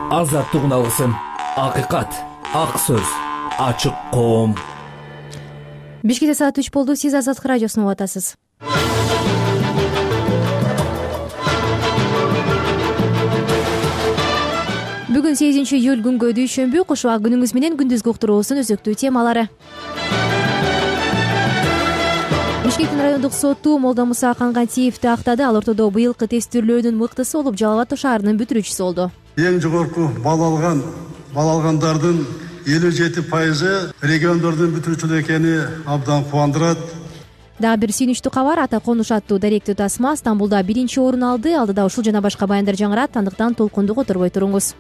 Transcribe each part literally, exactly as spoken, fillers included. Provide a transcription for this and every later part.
азаттыгын алгысың. Акыйкат, ак сөз, ачык коом. Бишкекте саат үч болду. Сиз Азаттык радиосун угуп атасыз. Бүгүн сегизинчи июль күнгө дүйшөмбү. Кош убак күнүңүз менен күндүзгү уктуруубуздун өзөктүү темалары. Бишкектин райондук соту Молда Муса Кангатиевди актады. Ал ортодо быйылкы тестирлөөнүн мыктысы болуп, Жалал Абад шаарынын бүтүрүүчүсү болду. Эң жогорку бал алган бал алгандардын элүү жети пайызы региондордун бүтүрүүчүлөр экени абдан кубандырат. Дагы бир сүйүнүчтүү кабар. Ата Конуш аттуу даректүү тасма Стамбулда биринчи орун алды. Алдыда ушул жана башка баяндар жаңырат. Андыктан толкунду которбой туруңуз.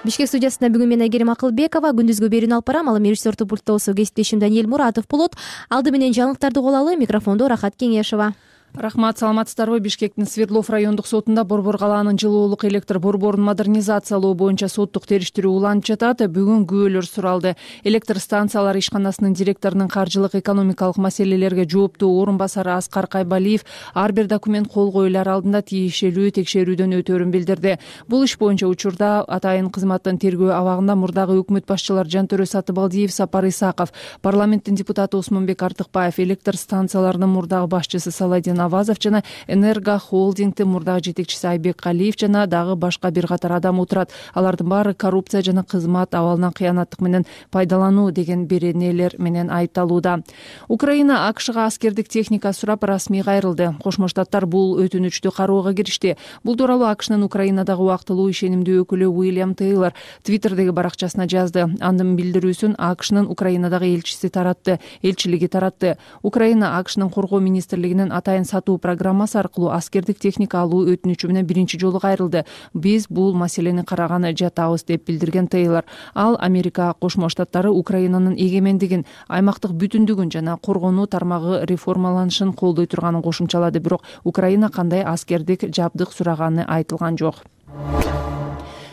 Бишкек студиясында бүгүн мен Айгерим Акылбекова күндүзгү берүүнү алып барам. Ал эми режиссердүү пульттосу кесиптешим Даниэль Муратов болот. Алды менен жаңылыктарды угулалы. Микрофондо Рахат Кеңешова. Рахмат, саламатсыздарбы? Бишкектин Свердлов райондук сотунда Борбор калаанын жылуулук электр борборун модернизациялоо боюнча соттук териштирүү уланып жатат. Бүгүн күбөлөр суралды. Электр станциялары ишканасынын директорунун каржылык экономикалык маселелерге жооптуу орун басары Аскар Кайбалиев ар бир документ кол коюлар алдында тиешелүү текшерүүдөн өтөөрүн билдирди. Бул иш боюнча учурда атайын кызматтын тергөө абагында мурдагы өкмөт башчылар Жантөрө Сатыбалдиев, Сапар Исаков, парламенттин депутаты Осмонбек Артыкбаев, электр станцияларынын мурдагы башчысы Саладин Авазов жана Энерго холдингдин мурдагы жетекчиси Айбек Калиев жана дагы башка бир катар адам отурат. Алардын баары коррупция жана кызмат абалынан кыянаттык менен пайдалануу деген беренелер менен айыпталууда. Украина АКШга аскердик техника сурап расмий кайрылды. Кошмо Штаттар бул өтүнүчтү кароого киришти. Бул тууралуу АКШнын Украинадагы убактылуу ишенимдүү өкүлү Уильям Тейлор Твиттердеги баракчасына жазды. Андын билдирүүсүн АКШнын Украинадагы элчиси таратты, элчилиги таратты. Украина АКШнын коргоо министрлигинин атайын сатуу программасы аркылуу аскердик техника алуу өтүнүчү менен биринчи жолу кайрылды. Биз бул маселени караганы жатабыз деп билдирген Тейлор. Ал Америка Кошмо Штаттары Украинанын эгемендигин, аймактык бүтүндүгүн жана коргонуу тармагы реформаланышын колдой турганын кошумчалады. Бирок Украина кандай аскердик жабдык сураганы айтылган жок.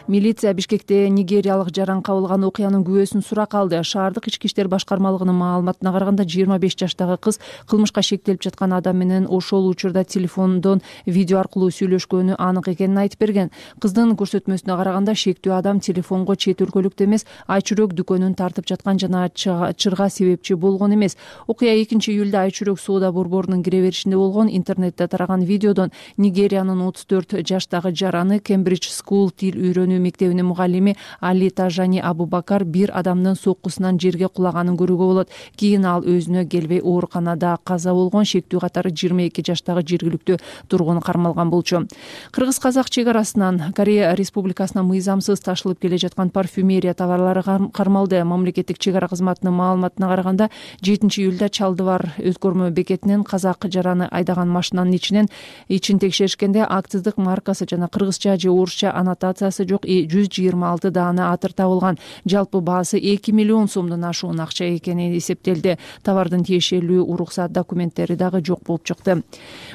Милиция Бишкекте нигериялык жаран кабылган окуянын күбөсүн сурак алды. Шаардык ички иштер башкармалыгынын маалыматына караганда жыйырма беш жаштагы кыз кылмышка шектелип жаткан адам менен ошол учурда телефондон видео аркылуу сүйлөшкөнү анык экенин айтып берген. Кыздын көрсөтмөсүнө караганда шектүү адам телефонго чет өлкөлүктө эмес, Айчүрөк дүкөнүн тартып жаткан жана чырга себепчи болгон эмес. Окуя экинчи июлда Айчүрөк соода борборунун кире беришинде болгон. Интернетте тараган видеодон Нигериянын отуз төрт жаштагы жараны Кембридж School тил үйрөнүү мектебинин мугаллими Али Тажани Абубакар бир адамдын соккусунан жерге кулаганын көрүүгө болот. Кийин ал өзүнө келбей ооруканада каза болгон. Шектүү катары жыйырма эки жаштагы жергиликтүү тургун кармалган болчу. Кыргыз-казак чек арасынан Корея Республикасына мыйзамсыз ташылып келе жаткан парфюмерия товарлары кармалды. Мамлекеттик чек ара кызматынын маалыматына караганда жетинчи июлда Чалдыбар өткөрмө бекетинен казак жараны айдаган машинанын ичинен ичин текшеришкенде акциздик маркасы жана кыргызча же орусча аннотациясы жок жүз жыйырма алты даана атыр табылган. Жалпы баасы эки миллион сомдон ашуун акча экени эсептелди. Товардын тиешелүү уруксат документтери дагы жок болуп чыкты.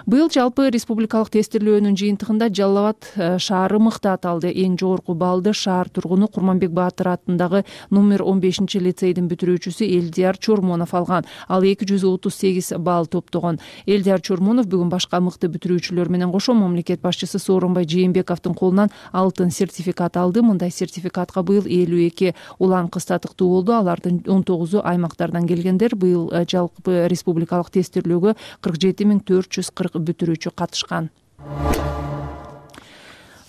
Быйыл жалпы республикалык тестирлөөнүн жыйынтыгында Жалал Абад шаары мыкты аталды. Эң жогорку баллды шаар тургуну Курманбек Баатыр атындагы номер он бешинчи лицейдин бүтүрүүчүсү Элдияр Чормонов алган. Ал эки жүз отуз сегиз балл топтогон. Элдияр Чормонов бүгүн башка мыкты бүтүрүүчүлөр менен кошо мамлекет башчысы Сооронбай Жээнбековдун колунан алтын сертификат алды. Мындай сертификатка быйыл элүү эки улан кыз татыктуу болду. Алардын он тогузу аймактардан келгендер. Быйыл жалпы республикалык тестирлөөгө кырк жети миң төрт жүз кырк бүтүрүүчү катышкан.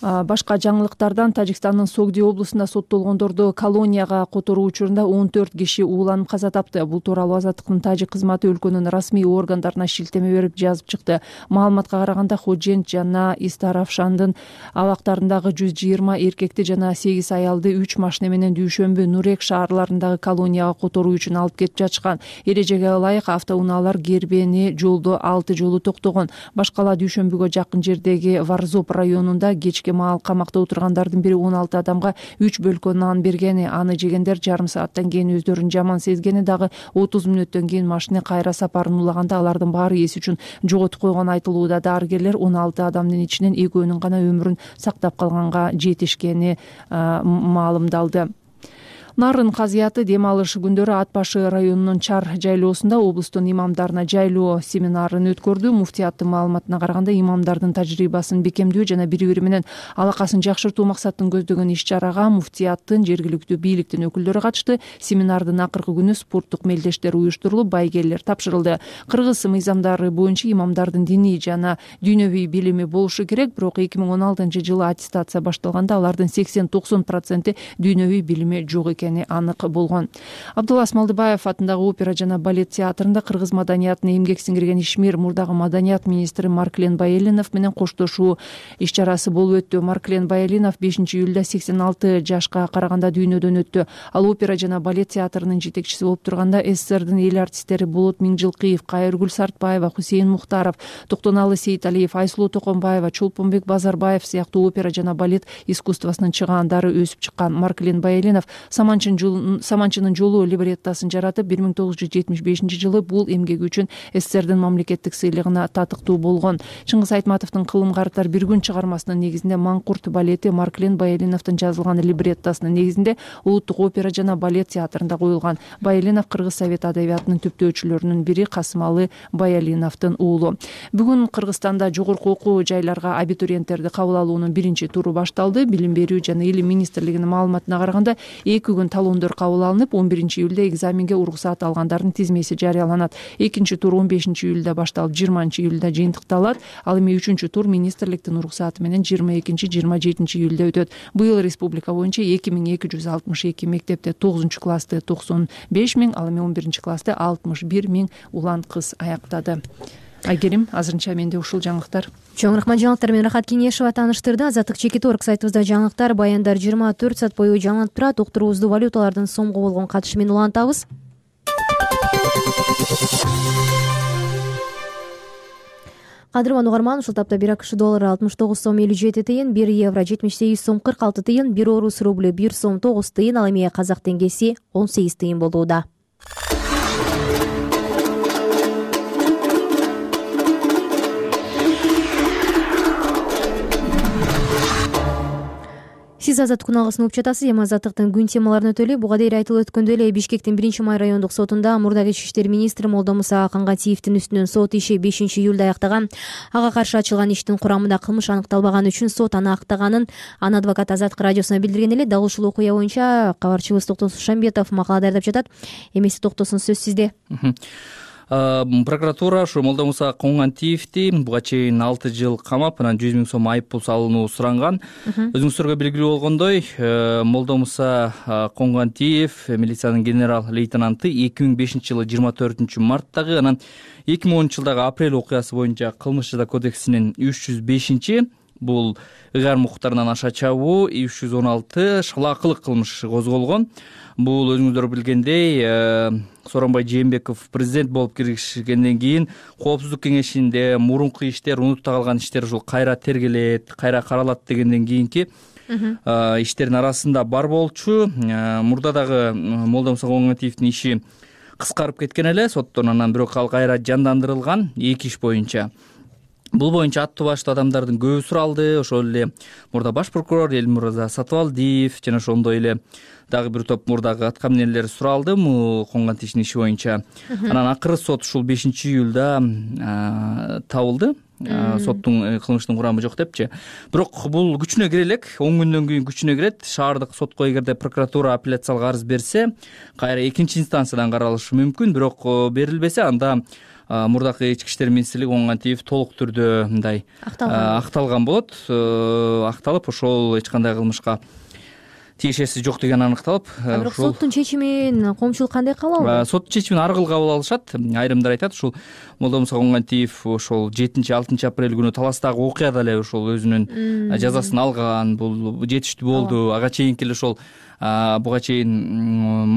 Башка жаңылыктардан Тажикстандын Согди облусунда соттолгондорду колонияга которуу учурунда он төрт киши ууланып каза тапты. Бул тууралуу Азаттыктын тажик кызматы өлкөнүн расмий органдарына шилтеме берип жазып чыкты. Маалыматка караганда Ходжент жана Истаравшандын абактарындагы жүз жыйырма эркекти жана сегиз аялды үч машина менен Дүйшөмбү, Нурек шаарларындагы колонияга которуу үчүн алып кетип жатышкан. Эрежеге ылайык автоунаалар Гербени жолдо алты жолу токтогон. Башкала Дүйшөмбүгө жакын жердеги Варзоп районунда кечки маал камакта отургандардын бири он алты адамга үч бөлкө нан бергени, аны жегендер жарым сааттан кийин өздөрүн жаман сезгени, дагы отуз мүнөттөн кийин машина кайра сапарын улаганда алардын баары эс үчүн жоготуп койгон айтылууда. Дарыгерлер он алты адамдын ичинен экөөнүн гана өмүрүн сактап калганга жетишкени маалымдалды. Нарын казыяты дем алыш күндөрү Ат башы районунун Чар жайлоосунда облустун имамдарына жайлоо семинарын өткөрдү. Муфтияттын маалыматына караганда, имамдардын тажрыйбасын бекемдөө жана бири бири менен алакасын жакшыртуу максатын көздөгөн иш-чарага муфтияттын, жергиликтүү бийликтин өкүлдөрү катышты. Семинардын акыркы күнү спорттук мелдештер уюштурулуп, байгелер тапшырылды. Кыргыз мыйзамдары боюнча имамдардын диний жана дүйнөвүй билими болушу керек, бирок эки миң он алтынчы жылы аттестация башталганда алардын сексен токсон проценти дүйнөвүй билими жок экени анык болгон. Абдулла Смалдыбаев атындагы опера жана балет театрында кыргыз маданиятына эмгек сиңирген ишмер мурдагы маданият министри Марклен Байелинов менен коштошуу иш-чарасы болуп өттү. Марклен Байелинов бешинчи июлда сексен алты жашка караганда дүйнөдөн өттү. Ал опера жана балет театрынын жетекчиси болуп турганда СССРдин эл артисттери Болот Миңжилкыев, Кайыргүл Сартбаева, Хусейин Мухтаров, Токтоналы Сейиталиев, Айсулуу Токонбаева, Чолпонбек Базарбаев сыяктуу опера жана балет искусствосунун чыгаандары өсүп чыккан. Марклен Байелинов Саманчынын жолу либреттосын жаратып, бир миң тогуз жүз жетимиш бешинчи жылы бул эмгеги үчүн СССРдин мамлекеттик сыйлыгына татыктуу болгон. Чыңгыз Айтматовдун Кылым картар бир күн чыгармасынын негизинде Маңкурт балети Марклен Байелиновдун жазылган либреттосунун негизинде Улуттук опера жана балет театрында коюлган. Байелинов Кыргыз совет адабиятынын түптөөчүлөрүнүн бири, Касымалы Байалиновдун уулу. Бүгүн Кыргызстанда жогорку окуу жайларга абитуриенттерди кабыл алуунун биринчи туру башталды. Билим берүү жана илим министрлигинин маалыматына караганда, эки күн талондор кабыл алынып, он биринчи июлда экзаменге уруксаат алгандардын тизмеси жарыяланат. Экинчи тур он бешинчи июлда башталып, жыйырманчы июлда жыйынтыкталат. Ал эми үчүнчү тур министрликтин уруксааты менен жыйырма экинчи жыйырма жетинчи июлда өтөт. Быйыл республика боюнча эки миң эки жүз алтымыш эки мектепте тогузунчу классты токсон беш миң, ал эми он биринчи классты алтымыш бир миң улан кыз аяктады. Айгерим, азырынча менде ушул жаңылыктар. Чоң рахмат. Жаңылыктар менен Рахат Кеңешова тааныштырды. Азаттык Чекит орг сайтыбызда жаңылыктар, баяндар жыйырма төрт саат бою жаңылып турат. Уктуруубузду валюталардын сомго болгон катышы менен улантабыз. Кадырман угарман, ушул тапта бир акш доллары алтымыш тогуз сом элүү жети тыйын, бир евро жетимиш сегиз сом кырк алты тыйын, бир орус рублю бир сом тогуз тыйын, ал эми казак теңгеси он сегиз тыйын болууда. Сиз Азаттык күналыгын угуп жатасыз. Эми Азаттыктын күн темаларын өтөлү. Буга дейин айтылып өткөндөй эле Бишкектин биринчи май райондук сотунда мурдагы ички иштер министри Молдомуса Кангатиевдин үстүнөн сот иши бешинчи июлда аяктаган. Ага каршы ачылган иштин курамында кылмыш аныкталбаганы үчүн сот аны актаганын анын адвокаты Азаттык радиосуна билдирген эле. Дал ушул окуя боюнча кабарчыбыз Токтосун Шамбетов макала даярдап жатат. Эмеси Токтосун, сөз сизде. Прокуратура ушу Молдомуса Кангатиевди буга чейин алты жыл камап, анан жүз миң сом айып пул салууну суранган. Өзүңүздөргө белгилүү болгондой, Молдомуса Кангатиев милициянын генерал лейтенанты эки миң бешинчи жылы жыйырма төртүнчү марттагы, анан эки миң онунчу жылдагы апрель окуясы боюнча Кылмыш жаза кодексинин үч жүз бешинчи бул ыгар мукуктарынан аша чабуу, үч жүз он алты шалаакылык кылмыш козголгон. Бул өзүңүздөр билгендей, Сооронбай Жээнбеков президент болуп киришкенден кийин Коопсуздук кеңешинде мурунку иштер, унутта калган иштер ушул кайра тергелет, кайра каралат дегенден кийинки иштердин арасында бар болчу. Мурда дагы Молдомуса Кангатиевдин иши кыскарып кеткен эле соттон, анан бирок ал кайра жандандырылган эки иш боюнча. Бул боюнча аттуу баштуу адамдардын көбү суралды. Ошол эле мурда баш прокурор Элмурза Сатыбалдиев жана ошондой эле дагы бир топ мурдагы аткаминерлер суралды Кангатиевдин иши боюнча. Анан акыры сот ушул бешинчи июлда табылды. Соттун кылмыштын курамы жок депчи. Бирок бул күчүнө кире элек, он күндөн кийин күчүнө кирет. Шаардык сотко эгерде прокуратура апелляциялык арыз берсе, кайра экинчи инстанциядан каралышы мүмкүн. Бирок берилбесе, анда мурдакы ички иштер министрлиги Кангатиев толук түрдө мындай акталган болот. Акталып, ошол эч кандай кылмышка тиешеси жок деген аныкталып. Бирок соттун чечимин коомчулук кандай кабыл алды? Соттун чечимин ар кыл кабыл алышат. Айрымдар айтат, ушул Молдомуса Кангатиев ошол жетинчи алтынчы апрель күнү Таластагы окуяда эле ошол өзүнүн жазасын алган. Бул жетиштүү болду. Ага чейинки эле ошол буга чейин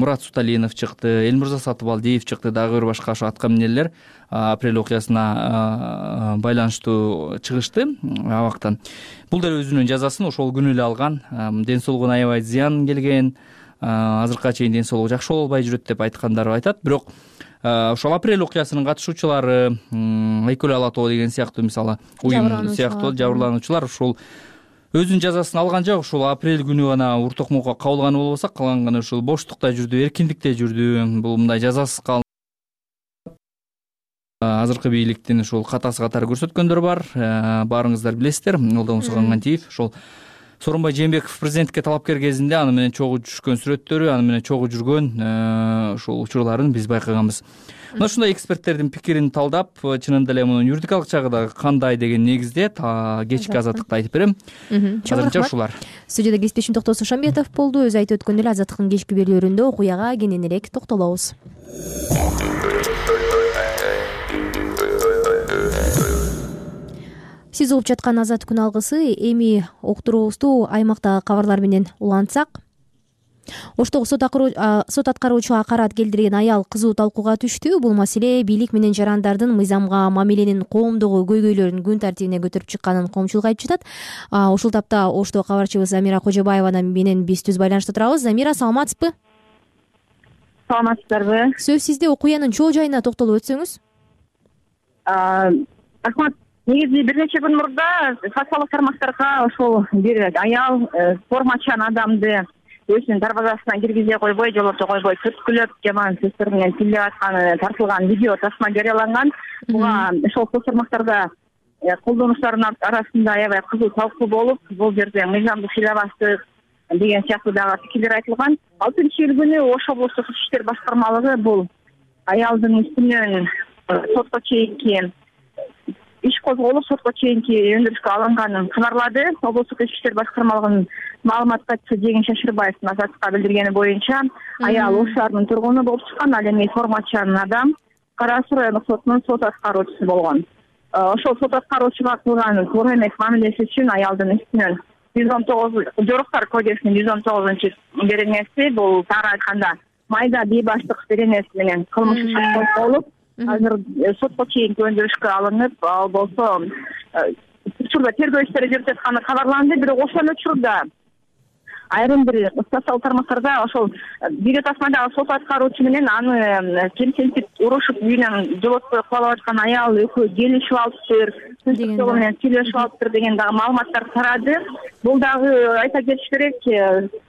Мурат Суталинов чыкты, Элмурза Сатыбалдиев чыкты, дагы бир башка ошо аткаминерлер апрель окуясына байланыштуу чыгышты абактан. Бул деле өзүнүн жазасын ошол күнү эле алган. Ден соолугуна аябай зыян келген, азыркыга чейин ден соолугу жакшы боло албай жүрөт деп айткандары айтат. Бирок ошол апрель окуясынын катышуучулары, Айкөл Алатоо деген сыяктуу, мисалы уюм сыяктуу жабырлануучулар ушул өзүнүн жазасын алган жок. Ушул апрель күнү гана ур токмокко кабылганы болбосо, калганы ушул боштукта жүрдү, эркиндикте жүрдү. Бул мындай жазасыз калды. Азыркы бийликтин ушул катасы катары көрсөткөндөр бар. Баарыңыздар билесиздер. Молдомуса Кангантиев ошол Сооронбай Жээнбеков президенттикке талапкер кезинде аны менен чогуу түшкөн сүрөттөрү, аны менен чогуу жүргөн ушул учурларын биз байкаганбыз. Мына ушундай эксперттердин пикирин талдап, чынында эле мунун юридикалык жагы дагы кандай деген негизде кечки азаттыкта айтып берем. Азырынча ушулар. Студияда кесиптешим Токтосун Шамбетов болду. Өзү айтып өткөндөй эле азаттыктын кечки берүүлөрүндө окуяга кененирээк токтолобуз. Сиз угуп жаткан Азат күн алгысы. Эми уктуруубузду аймактагы кабарлар менен улантсак. Оштогу сот аткаруучуга караат келтирген аял кызуу талкууга түштү. Бул маселе бийлик менен жарандардын мыйзамга мамиленин коомдогу көйгөйлөрүн күн тартибине көтөрүп чыкканын коомчулук айтып жатат. Ушул тапта Ошто кабарчыбыз Замира Кожобаева менен биз түз байланышта турабыз. Замира, саламатсызбы? Саламатсыздарбы? Сөз сизде, окуянын чоо жайына токтолуп өтсөңүз. Рахмат. Негизи бир нече күн мурда социалдык тармактарга ошол бир аял формачан адамды өзүнүн дарбазасына киргизе койбой, жолото койбой, түрткүлөп, жаман сөздөр менен тилдеп атканы тартылган видео тасма жарыяланган. Буга ошол соц тармактарда колдонуучулардын арасында аябай кызуу талкуу болуп, бул жерде мыйзамды сыйлабастык деген сыяктуу дагы пикирлер айтылган. алтынчы июль күнү Ош облустук ички иштер башкармалыгы бул аялдын үстүнөн сотко чейинки иш козголуп, сотко чейинки өндүрүшкө алынганын кабарлады. Облустук ички иштер башкармалыгынын маалымат катчысы Жеңин Шашырбаевдин Азаттыкка билдиргени боюнча аял Ош шаарынын тургуну болуп чыккан, ал эми формачан адам Кара Суу райондук сотунун сот аткаруучусу болгон. Ошол сот аткаруучуга кылган туура эмес мамилеси үчүн аялдын үстүнөн жүз он тогуз Жоруктар кодексинин жүз он тогузунчу беренеси, бул тагыраак айтканда майда бейбаштык беренеси менен кылмыш иши козголуп, азыр сотко чейинки өндүрүшкө алынып, ал болсо учурда тергөө иштери жүрүп жатканы кабарланды. Бирок ошол учурда айрым бир социалдык тармактарда ошол видео тасмадагы сот аткаруучу менен аны кемсинтип урушуп үйүнөн жолотпой кубалап аткан аял экөө келишип алыптыр, сөздүк жолу менен сүйлөшүп алыптыр деген дагы маалыматтар тарады. Бул дагы айта кетиш керек,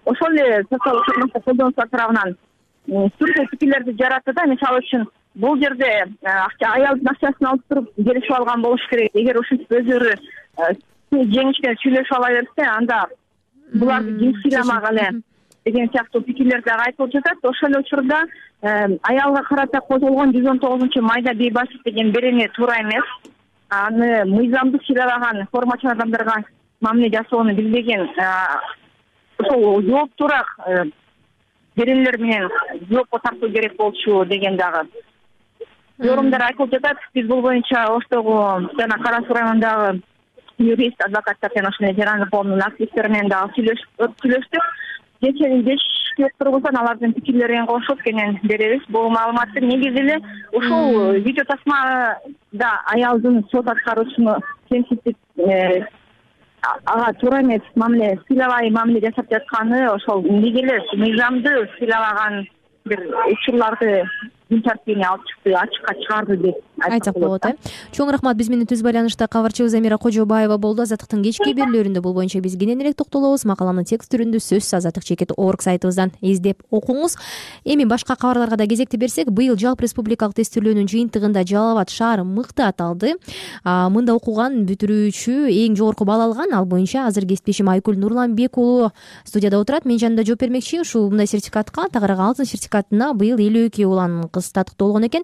ошол эле социалдык тармакта колдонуучулар тарабынан түрдүү пикирлерди жаратты да. Мисалы үчүн бул жерде аялдын акчасын алып туруп келишип алган болуш керек. Эгер ушинтип өздөрү жеңишкен сүйлөшүп ала берсе, анда буларды ким сыйламак эле деген сыяктуу пикирлер дагы айтылып жатат. Ошол эле учурда аялга карата козголгон жүз он тогузунчу майда бейбаштык деген берене туура эмес. Аны мыйзамды сыйлаган формачан адамдарга мамиле жасоону билбеген, ошол жооптуураак беренелер менен жоопко тартуу керек болчу деген дагы yorumдар айтылып жатат. Биз бул боюнча Оштогу жана Кара Суу районундагы юрист, адвокаттар жана ошондой жарандык коомдун активисттери менен дагы сүйлөштүк. Кечээ бешке уктургуздан алардын пикирлерин кошуп кенен беребиз. Бул маалыматты негизи эле ушул видео тасмада аялдын сот аткаруучуну кемсинтип ага туура эмес мамиле, сыйлабай мамиле жасап жатканы, ошол неге эле мыйзамды сыйламаган бир учурларды күн тартибине алып чыкты, ачыкка чыгарды деп айтсак болот. э Чоң рахмат. Биз менен түз байланышта кабарчыбыз Замира Кожобаева болду. Азаттыктын кечки берүүлөрүндө бул боюнча биз кененирээк токтолобуз. Макаланын текст түрүндө сөзсүз азаттык чекит орг сайтыбыздан издеп окуңуз. Эми башка кабарларга да кезекти берсек, быйыл жалпы республикалык тестирлөөнүн жыйынтыгында Жалал Абад шаары мыкты аталды. Мында окуган бүтүрүүчү эң жогорку балл алган. Ал боюнча азыр кесиптешим Айкүл Нурланбек уулу студияда отурат. Мен жанында жооп бермекчи. Ушул мындай сертификатка, тагыраагы алтын сертификатына быйыл элүү эки улан кыз татыктуу болгон экен.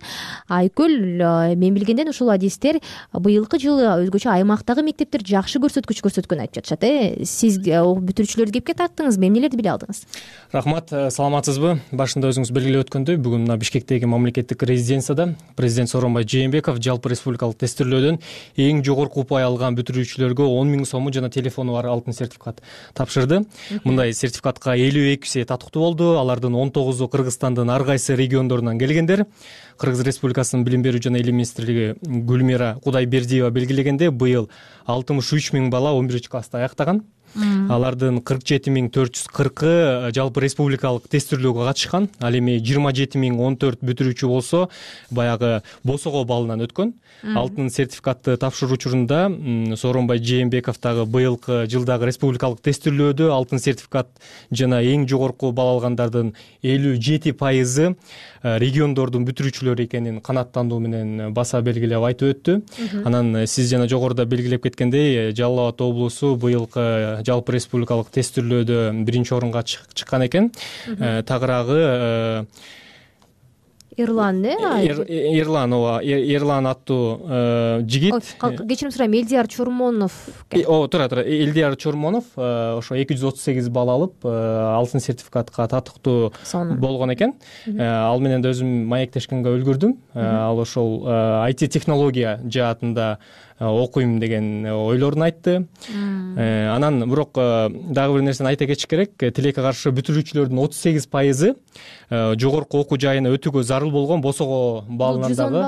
Айкүл, мен билгенден ушул адистер быйылкы жылы өзгөчө аймактагы мектептер жакшы көрсөткүч көрсөткөнүн айтып жатышат. э Сиз бүтүрүүчүлөрдү кепке тарттыңыз, эмнелерди биле алдыңыз? Рахмат, саламатсызбы? Башында өзүңүз белгилеп өткөндөй, бүгүн мына Бишкектеги мамлекеттик резиденцияда президент Сооронбай Жээнбеков жалпы республикалык тестирлөөдөн эң жогорку упай алган бүтүрүүчүлөргө он миң сому жана телефону бар алтын сертификат тапшырды. Мындай сертификатка элүү экиси татыктуу болду. Алардын он тогузу Кыргызстандын ар кайсы региондорунан келгендер. Кыргыз Республикасынын билим берүү жана илим министрлиги Гүлмира Кудайбердиева белгилегенде, быйыл алтымыш үч миң бала он биринчи класста аяктаган. Алардын кырк жети миң төрт жүз кыркы жалпы республикалык тестирлөөгө катышкан. Ал эми жыйырма жети миң он төрт бүтүрүүчү болсо баягы босого балынан өткөн. Алтын сертификатты тапшыруу учурунда Сооронбай Жээнбеков дагы быйылкы жылдагы республикалык тестирлөөдө алтын сертификат жана эң жогорку балл алгандардын элүү жети пайызы региондордун бүтүрүүчүлөрү экенин канааттандуу менен баса белгилеп айтып өттү. Анан сиз жана жогоруда белгилеп кеткендей, Жалал Абад облусу быйылкы жалпы республикалык тестирлөөдө биринчи орунга чыккан экен. Тагыраагы Эрлан, э? Эрлан, ооба, Эрлан аттуу жигит. Кечирим сурайм, Элдияр Чормонов. Ооба, тура, тура. Элдияр Чормонов ошо эки жүз отуз сегиз балл алып, алтын сертификатка татыктуу болгон экен. Ал менен да өзүм маектешкенге үлгүрдүм. Ал ошол ай ти технология жаатында окуйм деген ойлорун айтты. Анан бирок дагы бир нерсени айта кетиш керек. Тилекке каршы бүтүрүүчүлөрдүн отуз сегиз пайызы жогорку окуу жайына өтүүгө зарыл болгон босого баллынан дагы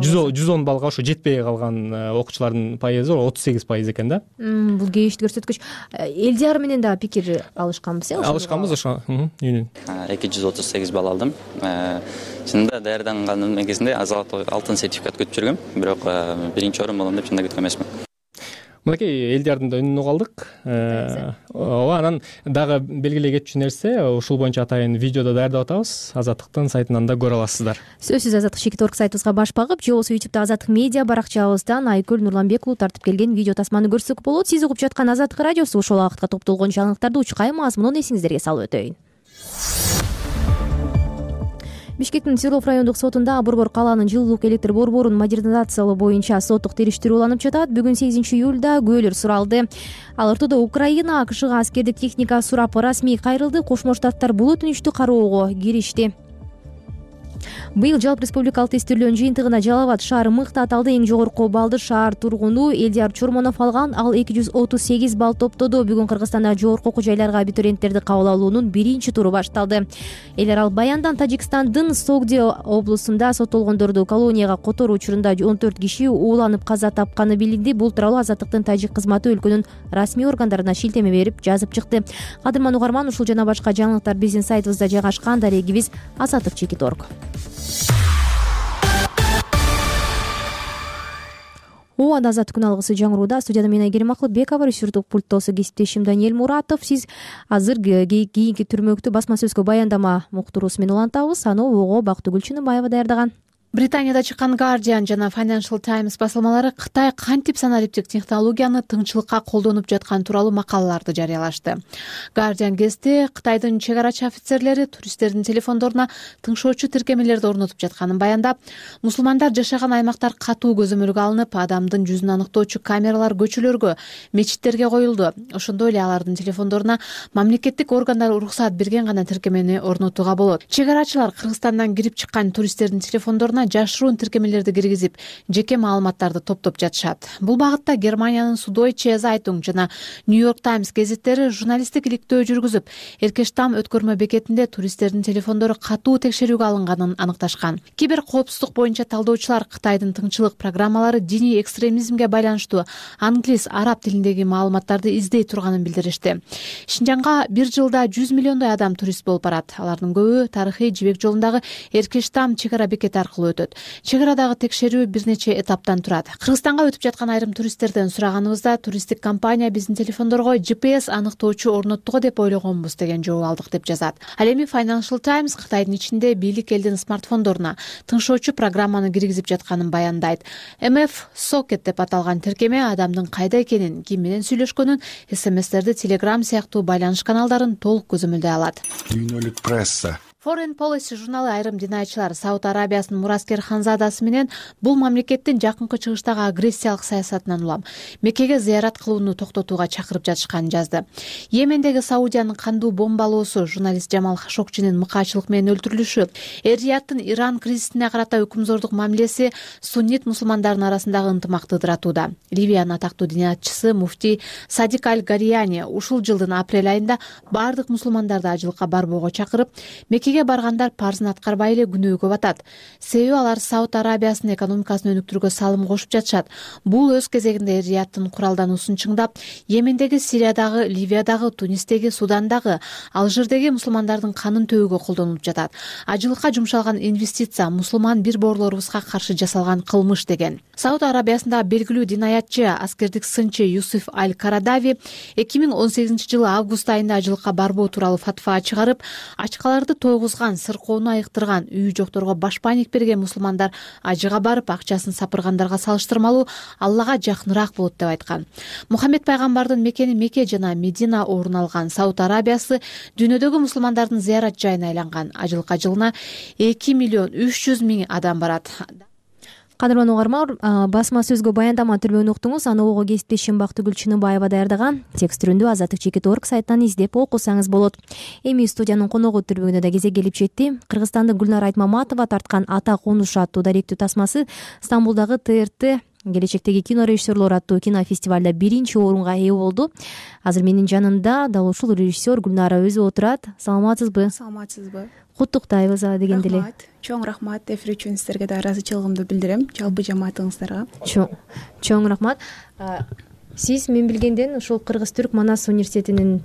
жүз он баллбы? жүз он баллга ошо жетпей калган окуучулардын пайызы отуз сегиз пайыз экен да. Бул кейишти көрсөткүч. Элдияр менен да пикир алышканбыз, э? Алышканбыз ошо. эки жүз отуз сегиз балл алдым. Чынында даярданган кезинде алтын сертификат күтүп жүргөм, бирок биринчи орун болом деп чында күткөн эмесмин. Мынакей Элдиярдын да үнүн угалдык. Ооба, анан дагы белгилей кетчү нерсе, ушул боюнча атайын видеодо даярдап атабыз. Азаттыктын сайтынан да көрө аласыздар. Сөзсүз Азаттык чекит точка орг сайтыбызга баш багып, же болбосо ютубда Азаттык медиа баракчабыздан Айкүл Нурланбек уулу тартып келген видео тасманы көрсөк болот. Сиз угуп жаткан Азаттык радиосу ушул убакытка топтолгон жаңылыктарды учкай мазмунун эсиңиздерге салып өтөйүн. Бишкектин Свердлов райондук сотунда Борбор калаанын жылуулук электр борборун модернизациялоо боюнча соттук териштирүү уланып жатат. Бүгүн сегизинчи июлда күбөлөр суралды. Ал ортодо Украина АКШга аскердик техника сурап расмий кайрылды. Кошмо Штаттар бул өтүнүчтү кароого киришти. Быйыл жалпы республикалык тестирлөөнүн жыйынтыгына Жалал Абад шаары мыкты аталды. Эң жогорку баллды шаар тургуну Элдияр Чормонов алган. Ал эки жүз отуз сегиз балл топтоду. Бүгүн Кыргызстанда жогорку окуу жайларга абитуриенттерди кабыл алуунун биринчи туру башталды. Элер ал баяндан Тажикстандын Согди облусунда соттолгондорду колонияга которуу учурунда он төрт киши ууланып каза тапканы билинди. Бул тууралуу Азаттыктын тажик кызматы өлкөнүн расмий органдарына шилтеме берип жазып чыкты. Кадырман угарман, ушул жана башка жаңылыктар биздин сайтыбызда жайгашкан. Дарегибиз азаттык чекит точка орг. Ооба, Азаттык күн алгысы жаңырууда. Студияда мен Айгерим Акылбекова, режиссердик пульттосу кесиптешим Даниэль Муратов. Сиз азыр кийинки түрмөктү басма сөзгө баяндама муктуруусу менен улантабыз. Аны ого Бактыгүл Чыныбаева даярдаган. Британияда чыккан Guardian жана Financial Times басылмалары Кытай кантип санариптик технологияны тыңчылыкка колдонуп жаткан тууралуу макалаларды жарыялашты. Guardian гезити Кытайдын чек арачы офицерлери туристтердин телефондоруна тыңшоочу тиркемелерди орнотуп жатканын баяндап, мусулмандар жашаган аймактар катуу көзөмөлгө алынып, адамдын жүзүн аныктоочу камералар көчөлөргө, мечиттерге коюлду. Ошондой эле алардын телефондоруна мамлекеттик органдар уруксаат берген гана тиркемени орнотууга болот. Чек арачылар Кыргызстандан кирип чыккан туристтердин телефондоруна жашыруун тиркемелерди киргизип, жеке маалыматтарды топтоп жатышат. Бул багытта Германиянын Süddeutsche Zeitung жана New York Times гезиттери журналисттик иликтөө жүргүзүп, Эркештам өткөрмө бекетинде туристтердин телефондору катуу текшерүүгө алынганын аныкташкан. Кибер коопсуздук боюнча талдоочулар Кытайдын тыңчылык программалары диний экстремизмге байланыштуу англис, араб тилиндеги маалыматтарды издей турганын билдиришти. Шинжанга бир жылда жүз миллиондой адам турист болуп барат. Алардын көбү тарыхый жибек жолундагы Эркештам чек ара бекети аркылуу өтөт. Чек арадагы текшерүү бир нече этаптан турат. Кыргызстанга өтүп жаткан айрым туристтерден сураганыбызда, туристтик компания биздин телефондорго джи пи эс аныктоочу орноттуго деп ойлогонбуз деген жооп алдык деп жазат. Ал эми Financial Times Кытайдын ичинде бийлик элдин смартфондоруна тыңшоочу программаны киргизип жатканын баяндайт. эм эф Socket деп аталган тиркеме адамдын кайда экенин, ким менен сүйлөшкөнүн, эс эм эстерди, Telegram сыяктуу байланыш каналдарын толук көзөмөлдөй алат. Дүйнөлүк пресса Foreign Policy журналы айрым динайчылар Сауд Арабиясынын Мураскер Ханзадасы менен бул мамлекеттин жакынкы чыгыштагы агрессиялык саясатынан улам Меккеге зыярат кылууну токтотууга чакырып жатышканын жазды. Йемендеги Саудиянын кандуу бомбалоосу, журналист Жамал Хашокчинин мыкаачылык менен өлтүрүлүшү, Эр-Рияттын Иран кризисине карата өкүмзордук мамилеси суннит мусулмандардын арасындагы ынтымакты ыдыратууда. Ливиянын атактуу динатчысы муфтий Садик Аль-Гарияни ушул жылдын апрель айында бардык мусулмандарды ажылыкка барбоого чакырып, Меккеге меккеге баргандар парзын аткарбай эле күнөөгө батат. Себеби алар Сауд Арабиясынын экономикасын өнүктүрүүгө салым кошуп жатышат. Бул өз кезегинде Риядтын куралдануусун чыңдап, Йемендеги, Сириядагы, Ливиядагы, Тунистеги, Судандагы, Алжирдеги мусулмандардын канын төгүүгө колдонулуп жатат. Ажылыкка жумшалган инвестиция мусулман бир боорлорубузга каршы жасалган кылмыш деген. Сауд Арабиясындагы белгилүү динаятчы, аскердик сынчы Юсуф Аль-Карадави эки миң он сегизинчи жылы август айында ажылыкка барбоо тууралуу фатва чыгарып, ачкаларды тойгузган, сыркоону айыктырган, үйү жокторго башпайник берген мусулмандар ажыга барып акчасын сапыргандарга салыштырмалуу Аллага жакыныраак болот деп айткан. Мухаммед пайгамбардын мекени Мекке жана Медина орун алган Сауд Арабиясы дүйнөдөгү мусулмандардын зыярат жайына айланган. Ажылыкка жылына эки миллион үч жүз миң адам барат. Кадырлуу угарман, басма сөзгө баяндама түрбөгүн уктуңуз. Аны ого кесиптешим Бактыгүл Чыныбаева даярдаган. Текст түрүндө азаттык чекит точка орг сайттан издеп окусаңыз болот. Эми студиянын коногу түрбөгүнө да кезек келип жетти. Кыргызстандын Гүлнара Айтмаматова тарткан Ата конуш аттуу даректүү тасмасы Стамбулдагы Т Р Т келечектеги кино режиссерлор аттуу кинофестивалда биринчи орунга ээ болду. Азыр менин жанымда дал ушул режиссер Гүлнара өзү отурат. Саламатсызбы? Саламатсызбы. Куттуктайбыз дегенде эле. Рахмат. Чоң рахмат. Эфир үчүн сиздерге да ыраазычылыгымды билдирем. Жалпы жамаатыңыздарга. Чоң, чоң рахмат. Сиз мен билгенден ушул Кыргыз-Түрк Манас университетинин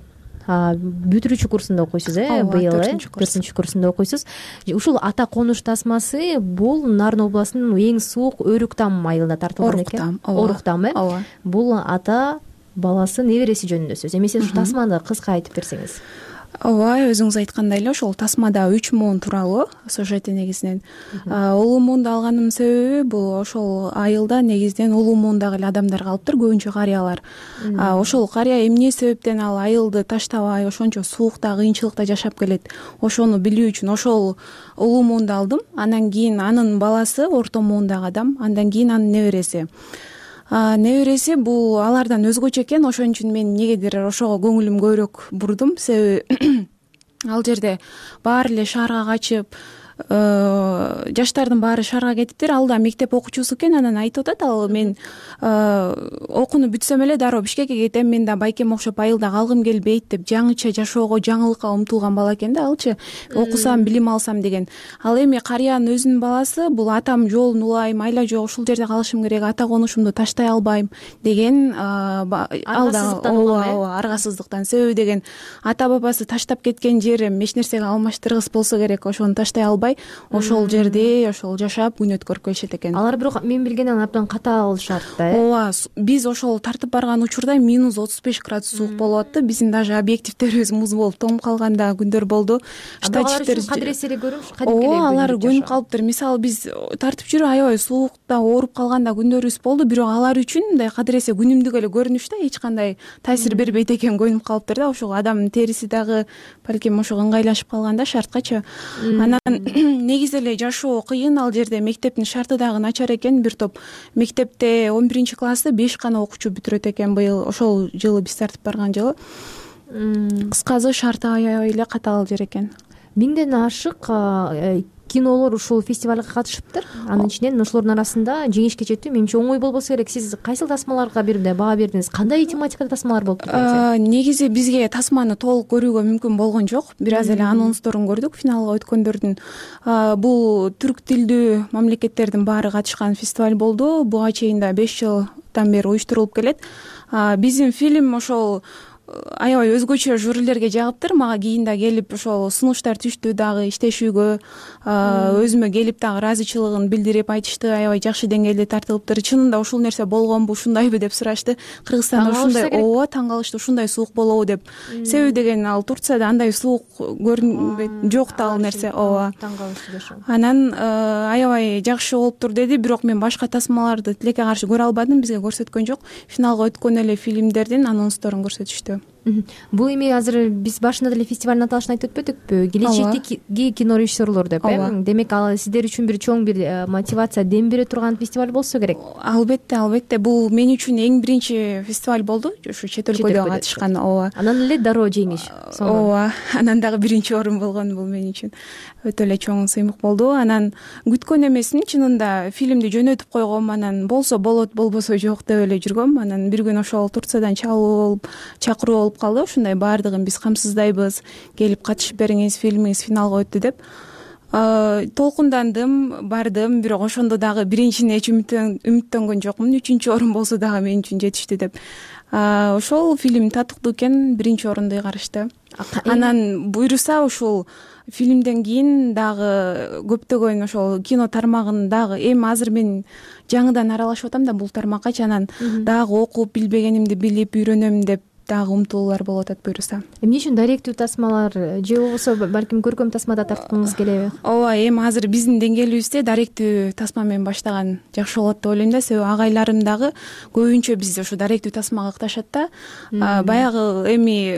бүтүрүүчү курсунда окуйсуз, э? Быйыл төртүнчү курсунда окуйсуз. Ушул Ата конуш тасмасы бул Нарын областынын эң суук Өрүктам айылында тартылган экен. Оруктам, э? Ооба. Бул ата баласы небереси жөнүндө сөз. Эмесе ушул тасманы кыска айтып берсеңиз. Ооба, өзүңүз айткандай эле ошол тасмада үч муун тууралуу сюжети негизинен. Улуу муунду алганымдын себеби бул ошол айылда негизинен улуу муундагы эле адамдар калыптыр, көбүнчө карыялар. Ошол карыя эмне себептен ал айылды таштабай ошончо суукта, кыйынчылыкта жашап келет, ошону билүү үчүн ошол улуу муунду алдым. Андан кийин анын баласы орто муундагы адам, андан кийин анын небереси. Небереси бул алардан өзгөчө экен, ошон үчүн мен негедир ошого көңүлүм көбүрөөк бурдум. Себеби ал жерде баары эле шаарга качып, жаштардын баары шаарга кетиптир. Ал да мектеп окуучусу экен, анан айтып атат, ал мен окууну бүтсөм эле дароо Бишкекке кетем, мен да байкем окшоп айылда калгым келбейт деп жаңыча жашоого, жаңылыкка умтулган бала экен да алчы. Окусам, билим алсам деген. Ал эми карыянын өзүнүн баласы бул атам жолун улайм, айла жок ушул жерде калышым керек, ата конушумду таштай албайм деген ал да аргасыздыктан. Себеби деген ата бабасы таштап кеткен жерим эч нерсеге алмаштыргыс болсо керек, ошону таштай албай ошол жерде ошол жашап күн өткөрүп келишет экен. Алар бирок мен билгенден абдан катаал шарт да, э? Ооба, биз ошол тартып барган учурда минус отуз беш градус суук болуп аттı. Биздин даже объективтерибиз муз болуп тонуп калган да күндөр болду. Штатчиктер кадыресе эле көрүмүш, кадимки эле. Ооба, алар көнүп калыптыр. Мисалы биз тартып жүрүп аябай суукта ооруп калганда күндөрүбүз болду, бирок алар үчүн мындай кадыресе күнүмдүк эле көрүнүш да, эч кандай таасир бербейт экен, көнүп калыптыр да. Ошол адамдын териси дагы балким ошого ыңгайлашып калган да шарткачы. Анан негизи эле жашоо кыйын ал жерде, мектептин шарты дагы начар экен. Бир топ мектепте он биринчи классты беш гана окуучу бүтүрөт экен быйыл, ошол жылы биз тартып барган жылы. Кыскасы шарты аябай эле катаал жер экен. Миңден ашык кинолор ушул фестивалга катышыптыр. Анын ичинен ошолордун арасында жеңишке жетүү менимче оңой болбосо керек. Сиз кайсыл тасмаларга бирде баа бердиңиз? Кандай тематикада тасмалар болуп турат? Негизи бизге тасманы толук көрүүгө мүмкүн болгон жок. Бир аз эле анонсторун көрдүк финалга өткөндөрдүн. Бул түрк тилдүү мамлекеттердин баары катышкан фестиваль болду. Буга чейин да беш жылдан бери уюштурулуп келет. Биздин фильм ошол аябай өзгөчө жюрилерге жагыптыр. Мага кийин да келип ошол сунуштар түштү дагы иштешүүгө, өзүмө келип дагы ыраазычылыгын билдирип айтышты, аябай жакшы деңгээлде тартылыптыр. Чынында ушул нерсе болгонбу, ушундайбы деп сурашты. Кыргызстанда ушундай, ооба, таң калышты, ушундай суук болобу деп. Себеби деген ал Турцияда андай суук көрүнбөйт, жок да ал нерсе, ооба. Таң калышты ошо. Анан аябай жакшы болуптур деди, бирок мен башка тасмаларды тилекке каршы көрө албадым, бизге көрсөткөн жок. Финалга өткөн эле фильмдердин анонсторун көрсөтүштү. Бул эми азыр биз башында деле фестивалдын аталышын айтып өтпөдүкпү? Келечектеги кино режиссерлор деп, э? Демек ал сиздер үчүн бир чоң бир мотивация, дем бере турган фестиваль болсо керек. Албетте, албетте. Бул мен үчүн эң биринчи фестиваль болду, ушу чет өлкөдө катышкан. Ооба. Анан эле дароо жеңиш. Ооба. Анан дагы биринчи орун болгон бул мен үчүн өтө эле чоң сыймык болду. Анан күткөн эмесмин, чынында фильмди жөнөтүп койгом, анан болсо болот, болбосо жок деп эле жүргөм. Анан бир күн ошол Турциядан чалуу болуп, чакыруу болуп калды. Ушундай баардыгын биз камсыздайбыз, келип катышып бериңиз, фильмиңиз финалга өттү деп толкундандым, бардым. Бирок ошондо дагы биринчине эч үмүттөнгөн жокмун. Үчүнчү орун болсо дагы мен үчүн жетиштүү деп. Ошол фильм татыктуу экен, биринчи орунду ыйгарышты. Анан буйруса ушул фильмден кийин дагы көптөгөн ошол кино тармагындагы эми азыр мен жаңыдан аралашып атам да бул тармакка, анан дагы окуп билбегенимди билип үйрөнөм деп дагы умтулуулар болуп атат буйруса. Эмне үчүн даректүү тасмалар же болбосо балким көркөм тасмада тарткыңыз келеби? Ооба, эми азыр биздин деңгээлибизде даректүү тасма менен баштаган жакшы болот деп ойлойм да. Себеби агайларым дагы көбүнчө бизде ушу даректүү тасмага ыкташат да. Баягы эми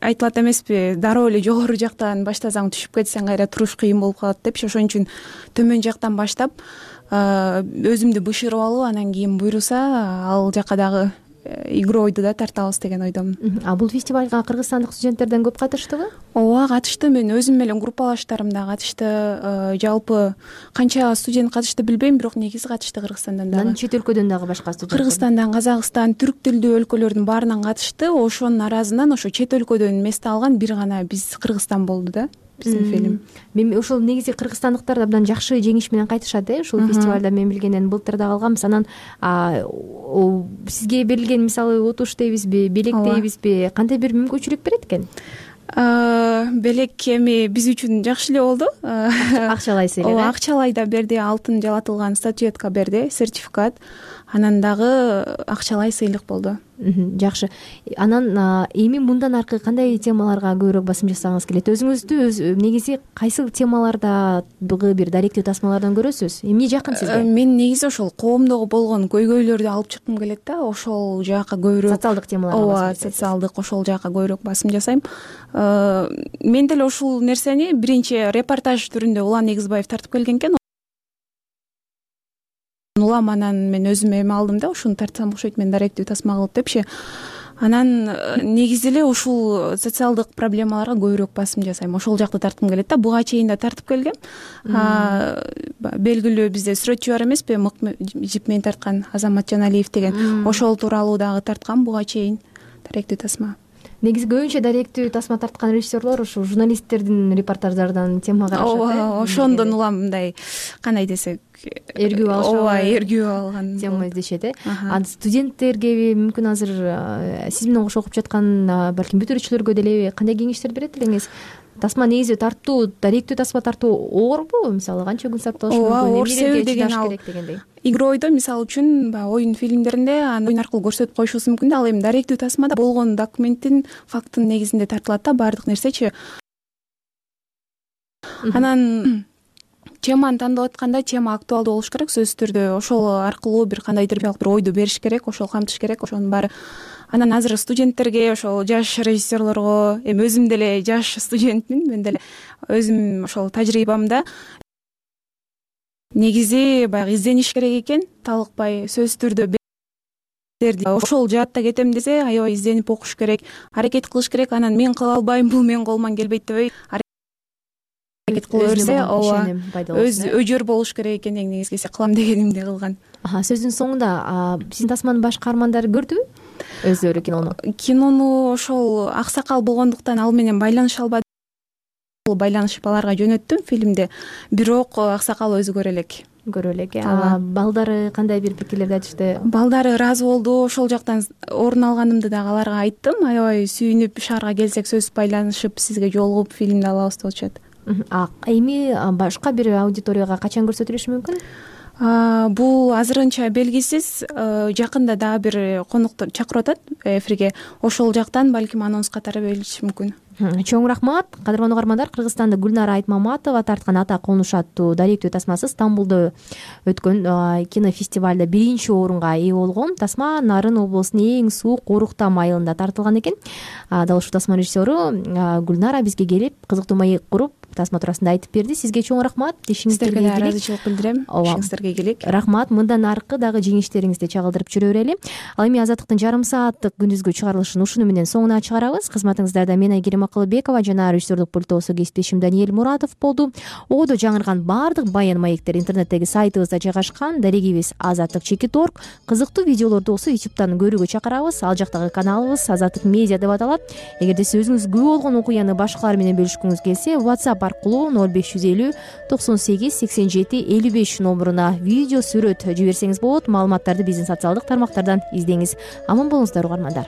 айтылат эмеспи, дароо эле жогору жактан баштасаң түшүп кетсең кайра туруш кыйын болуп калат депчи. Ошон үчүн төмөн жактан баштап өзүмдү бышырып алып, анан кийин буйруса ал жака дагы игройду да тартабыз деген ойдомун. А бул фестивалга кыргызстандык студенттерден көп катыштыбы? Ооба, катышты. Мен өзүм менен группалаштарым да катышты. Жалпы канча студент катышты билбейм, бирок негизи катышты Кыргызстандан дагы. Анан чет өлкөдөн дагы башка студенттер? Кыргызстандан, Казакстан, түрк тилдүү өлкөлөрдүн баарынан катышты. Ошонун аразынан ошо чет өлкөдөн месте алган бир гана биз Кыргызстан болду да. Биздин фильм. Мен ошол негизи кыргызстандыктар абдан жакшы жеңиш менен кайтышат э ушул фестивалда. Мен билгенден былтыр да калганбыз. Анан сизге берилген мисалы утуш дейбизби, белек дейбизби, кандай бир мүмкүнчүлүк берет экен? Белек эми биз үчүн жакшы эле болду. Акчалай сыйлык. Ооба, акчалай да берди, алтын жалатылган статуэтка берди, сертификат. Анан дагы акчалай сыйлык болду. Жакшы. Анан эми мындан аркы кандай темаларга көбүрөөк басым жасагыңыз келет? Өзүңүздү өз негизи кайсы темалардагы бир даректүү тасмалардан көрөсүз? Эмне жакын сизге? Мен негизи ошол коомдогу болгон көйгөйлөрдү алып чыккым келет да. Ошол жака көбүрөөк социалдык темаларга. Ооба, социалдык ошол жака көбүрөөк басым жасайм. Мен деле ушул нерсени биринчи репортаж түрүндө Улан Негизбаев тартып келген экен. Улам анан мен өзүм эме алдым да, ушуну тартсам окшойт мен даректүү тасма кылып депчи. Анан негизи эле ушул социалдык проблемаларга көбүрөөк басым жасайм. Ошол жакты тарткым келет да. Буга чейин да тартып келгем. Белгилүү бизде сүрөтчү бар эмеспи, мык жип менен тарткан Азамат Жаналиев деген. Ошол тууралуу дагы тарткам буга чейин даректүү тасма. Негизи көбүнчө даректүү тасма тарткан режиссерлор ушу журналисттердин репортаждарынан тема карашат. Ооба, ошондон улам мындай кандай десек, эргүү алышат. Ооба, эргүү алган тема издешет э. Анан студенттерге мүмкүн азыр сиз менен кошо окуп жаткан балким бүтүрүүчүлөргө деле кандай кеңештер берет элеңиз? Тасма негизи тартуу, даректүү тасма тартуу оорбу? Мисалы канча күн сакталышы мүмкүн? Ооба, оор себеби деген ал игройдо мисалы үчүн баягы оюн фильмдеринде аны оюн аркылуу көрсөтүп коюшубуз мүмкүн да. Ал эми даректүү тасмада болгон документтин, факттын негизинде тартылат да баардык нерсечи. Анан теманы тандап атканда тема актуалдуу болуш керек сөзсүз түрдө. Ошол аркылуу бир кандайдыр бир ойду бериш керек, ошол камтыш керек, ошонун баары. Анан азыр студенттерге, ошол жаш режиссерлорго, эми өзүм деле жаш студентмин, мен деле өзүм ошол тажрыйбамда негизи баягы издениш керек экен, талыкпай сөзсүз түрдө берди. Ошол жаатта кетем десе, аябай изденип окуш керек, аракет кылыш керек. Анан мен кыла албайм, бул менин колуман келбейт дебей аракет кыла берсе, ооба, өз өжөр болуш керек экен. Эң негизгиси кылам дегенимди кылган. Сөздүн соңунда сиздин тасманын баш каармандары көрдүбү өздөрү кинону? Кинону ошол аксакал болгондуктан ал менен байланыша албадым. Байланышып аларга жөнөттүм фильмди, бирок аксакал өзү көрө элек. Көрө элек. Балдары кандай бир пикирлерди айтышты? Балдары ыраазы болду. Ошол жактан орун алганымды дагы аларга айттым. Аябай сүйүнүп, шаарга келсек сөзсүз байланышып, сизге жолугуп фильмди алабыз деп атышат. Эми башка бир аудиторияга качан көрсөтүлүшү мүмкүн? Бул азырынча белгисиз. Жакында дагы бир коноктор чакырып атат эфирге. Ошол жактан балким анонс катары берилиши мүмкүн. Чоң рахмат. Кадырмандуу угармандар, Кыргызстанда Гүлнара Айтмаматова тарткан Ата Конуш аттуу даректүү тасмасы Стамбулда өткөн кинофестивалда биринчи орунга ээ болгон. Тасма Нарын облусунун эң суук Оруктам айылында тартылган экен. Дал ушул тасма режиссеру Гүлнара бизге келип, кызыктуу маек куруп, тасма туурасында айтып берди. Сизге чоң рахмат. Сиздерге да ыраазычылык билдирем. Ишиңиздерге ийгилик. Рахмат. Мындан аркы дагы жеңиштериңизди чагылдырып жүрө берели. Ал эми Азаттыктын жарым сааттык күндүзгү чыгарылышын ушуну менен соңуна чыгарабыз. Кызматыңыздарда мен Айгерим Макылбекова жана режиссердук пультубузда кесиптешим Даниэль Муратов болду. Одо жаңырган баардык баян маектер интернеттеги сайтыбызда жайгашкан. Дарегибиз азаттык чекит точка орг. Кызыктуу видеолорду болсо ютубтан көрүүгө чакырабыз. Ал жактагы каналыбыз Азаттык медиа деп аталат. Эгерде сиз өзүңүз күбө болгон окуяны башкалар менен бөлүшкүңүз келсе, WhatsApp аркылуу ноль беш жүз элүү токсон сегиз сексен жети элүү беш номуруна видео, сүрөт жиберсеңиз болот. Маалыматтарды биздин социалдык тармактардан издеңиз. Аман болуңуздар угармандар.